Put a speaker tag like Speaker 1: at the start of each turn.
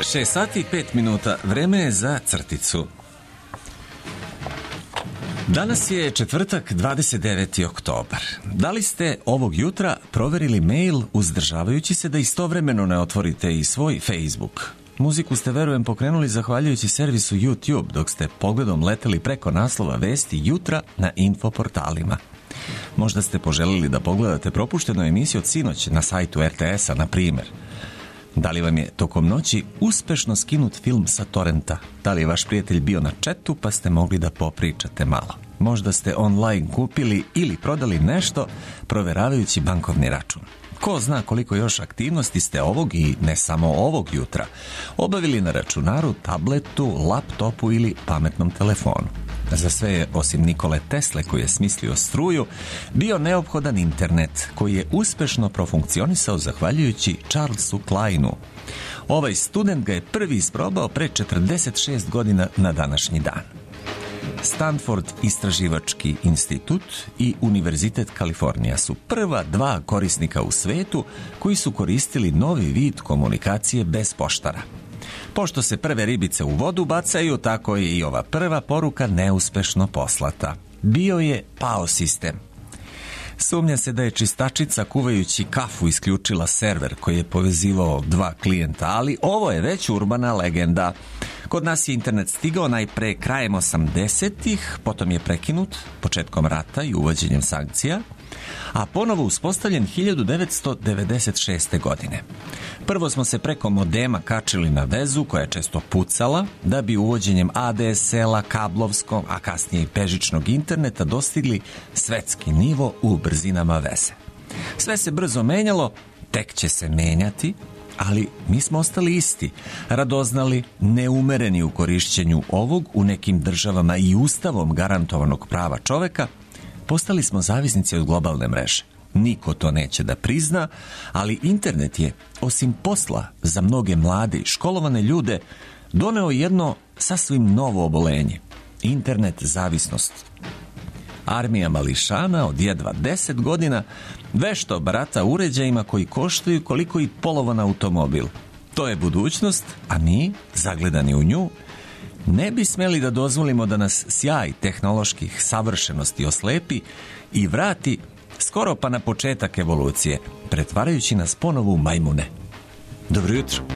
Speaker 1: 6 sati i 5 minuta, vreme je za crticu. Danas je četvrtak, 29. oktobar. Da li ste ovog jutra proverili mail uzdržavajući se da istovremeno ne otvorite i svoj Facebook? Muziku ste, verujem, pokrenuli zahvaljujući servisu YouTube, dok ste pogledom leteli preko naslova vesti jutra na infoportalima. Možda ste poželili da pogledate propuštenu emisiju od sinoć na sajtu RTS-a, na primjer. Da li vam je tokom noći uspešno skinut film sa torrenta? Da li je vaš prijatelj bio na chatu pa ste mogli da popričate malo? Možda ste online kupili ili prodali nešto proveravajući bankovni račun. Ko zna koliko još aktivnosti ste ovog i ne samo ovog jutra obavili na računaru, tabletu, laptopu ili pametnom telefonu. Za sve je, osim Nikole Tesle koji je smislio struju, bio neophodan internet koji je uspešno profunkcionisao zahvaljujući Charlesu Kleinu. Ovaj student ga je prvi isprobao pre 46 godina na današnji dan. Stanford istraživački institut i Univerzitet Kalifornija su prva dva korisnika u svetu koji su koristili novi vid komunikacije bez poštara. Pošto se prve ribice u vodu bacaju, tako je i ova prva poruka neuspešno poslata. Bio je pao sistem. Sumnja se da je čistačica kuvajući kafu isključila server koji je povezivao dva klijenta, ali ovo je već urbana legenda. Kod nas je internet stigao najpre krajem 80-ih, potom je prekinut početkom rata i uvođenjem sankcija, a ponovo uspostavljen 1996. godine. Prvo smo se preko modema kačili na vezu koja je često pucala, da bi uvođenjem ADSL-a, kablovskog, a kasnije i bežičnog interneta dostigli svetski nivo u brzinama veze. Sve se brzo menjalo, tek će se menjati, ali mi smo ostali isti, radoznali, neumereni u korišćenju ovog u nekim državama i ustavom garantovanog prava čoveka. Postali smo zavisnici od globalne mreže. Niko to neće da prizna, ali internet je, osim posla za mnoge mlade i školovane ljude, doneo jedno sasvim novo obolenje. Internet zavisnost. Armija mališana od jedva 10 godina vešto barata uređajima koji koštaju koliko i polovan automobil. To je budućnost, a mi, zagledani u nju, ne bi smeli da dozvolimo da nas sjaj tehnoloških savršenosti oslepi i vrati skoro pa na početak evolucije, pretvarajući nas ponovo u majmune. Dobro jutro.